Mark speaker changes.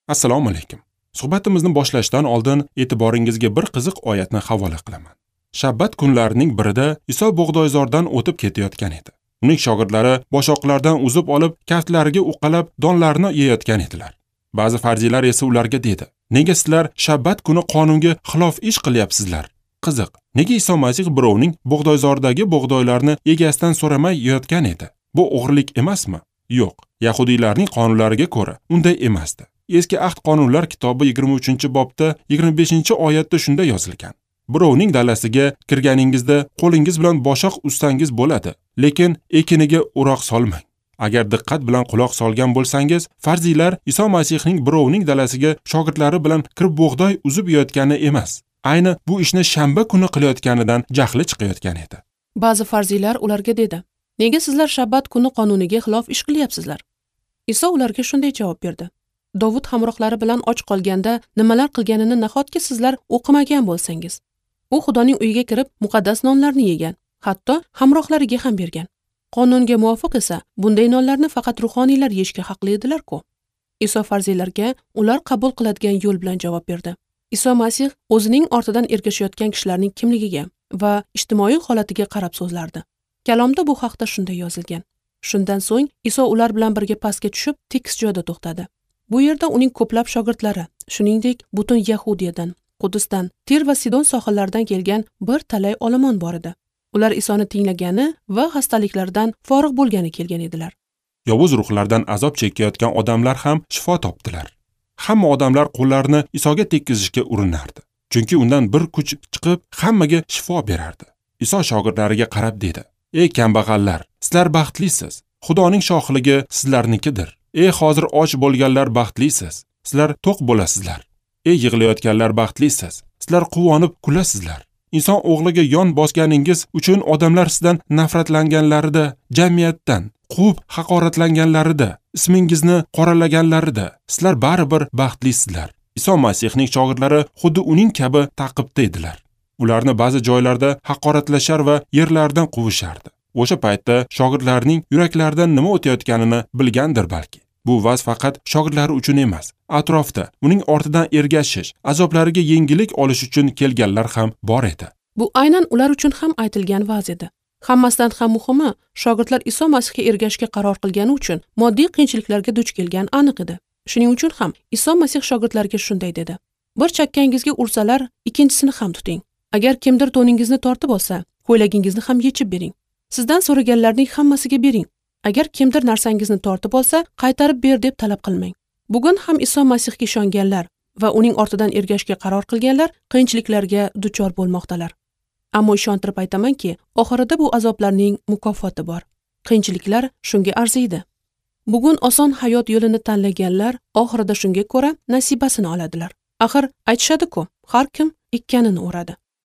Speaker 1: Assalomu alaykum. Suhbatimizni boshlashdan oldin e'tiboringizga bir qiziq oyatni havola qilaman. Shabbat kunlarining birida Iso bug'doyzordan o'tib ketayotgan edi. Uning shogirdlari boshoqlardan uzib olib, kaftlariga uqalab, donlarni yeyotgan edilar. Ba'zi farziylar esa ularga dedi: "Nega sizlar shabbat kuni qonunga xilof ish qilyapsizlar?" Qiziq, nega Iso Masih birovning bug'doyzordagi bug'doylarni egasidan so'ramay yeyotgan edi? Bu o'g'rilik emasmi? Yo'q, yahudiylarning qonunlariga ko'ra unday emasdi. Eski ahd qonunlar kitobi 23-bobda 25-oyatda shunday yozilgan: Birovning dalasiga kirganingizda qo'lingiz bilan boshoq uzsangiz bo'ladi, lekin ekiniga o'roq solmang. Agar diqqat bilan quloq solgan bo'lsangiz, farziylar Iso Masihning birovning dalasiga shogirdlari bilan kirib bug'doy uzib yeyotgani emas, ayni bu ishni shanba kuni qilayotganidan jahli chiqayotgan edi.
Speaker 2: Ba'zi farziylar ularga dedi: "Nega sizlar shabbat kuni qonuniga xilof ish qilyapsizlar?" Iso ularga shunday javob berdi: Dovud hamrohlari bilan och qolganda nimalar qilganini nahotki sizlar o'qimagan bo'lsangiz? U Xudoning uyiga kirib muqaddas nonlarni yegan, hatto hamrohlariga ham bergan. Qonunga muvofiq esa bunday nonlarni faqat ruhoniylar yeyishga haqli edilar-ku. Iso farziylarga ular qabul qiladigan yo'l bilan javob berdi. Iso Masih o'zining ortidan ergashayotgan kishilarning kimligiga va ijtimoiy holatiga qarab so'zlardi. Kalomda bu haqda shunday yozilgan. Shundan so'ng Iso ular bilan birga pastga tushib, tekis joyda to'xtadi. Bu yerda uning ko'plab shogirdlari, shuningdek, butun Yahudiyadan, Qudusdan, Tir va Sidon sohillaridan kelgan bir talay olomon bor edi. Ular Isoni tinglagani va xastaliklardan forig' bo'lgani kelgan edilar.
Speaker 1: Yovuz ruhlardan azob chekayotgan odamlar ham shifo topdilar. Hamma odamlar qo'llarini Isoga tekkizishga urinardi, chunki undan bir kuch chiqib hammaga shifo berardi. Iso shogirdlariga qarab dedi: "Ey kambag'allar, sizlar baxtlisiz. Xudoning shohligi sizlarnikidir. Ey hozir och bo'lganlar baxtlisiz, sizlar to'q bo'lasizlar. Ey yig'layotganlar baxtlisiz, sizlar quvonib kulasizlar. Inson o'g'liga yon bosganingiz uchun odamlar sizdan nafratlanganlarida, jamiyatdan quvib haqoratlanganlarida, ismingizni qoralaganlarida, sizlar baribir baxtlisizlar." Iso Masihning shogirdlari xuddi uning kabi ta'qibda edilar. Ularni ba'zi joylarda haqoratlashar va yerlaridan quvishardi. O'sha paytda shogirdlarning yuraklaridan nima o'tayotganini bilgandir balki. Bu vaz faqat shogirdlari uchun emas, atrofda uning ortidan ergashish, azoblariga yengillik olish uchun kelganlar ham bor edi.
Speaker 2: Bu aynan ular uchun ham aytilgan vaz edi. Hammasidan ham muhimi, shogirdlar Iso Masihga ergashishga qaror qilgani uchun moddiy qiyinchiliklarga duch kelgan aniq edi. Shuning uchun ham Iso Masih shogirdlarga shunday dedi: "Bir chakkangizga ursalar, ikkinchisini ham tuting. Agar kimdir to'ningizni tortib olsa, ko'ylagingizni ham yechib bering. Sizdan so'raganlarning hammasiga bering. Agar kimdir narsangizni tortib olsa, qaytarib ber deb talab qilmang." Bugun ham Iso Masihga ishonganlar va uning ortidan ergashishga qaror qilganlar qiyinchiliklarga duchor bo'lmoqdalar. Ammo ishontirib aytamanki, oxirida bu azoblarning mukofoti bor. Qiyinchiliklar shunga arziydi. Bugun oson hayot yo'lini tanlaganlar oxirida shunga ko'ra nasibasini oladilar. Axir aytishadi-ku, har kim ekkanini o'radi.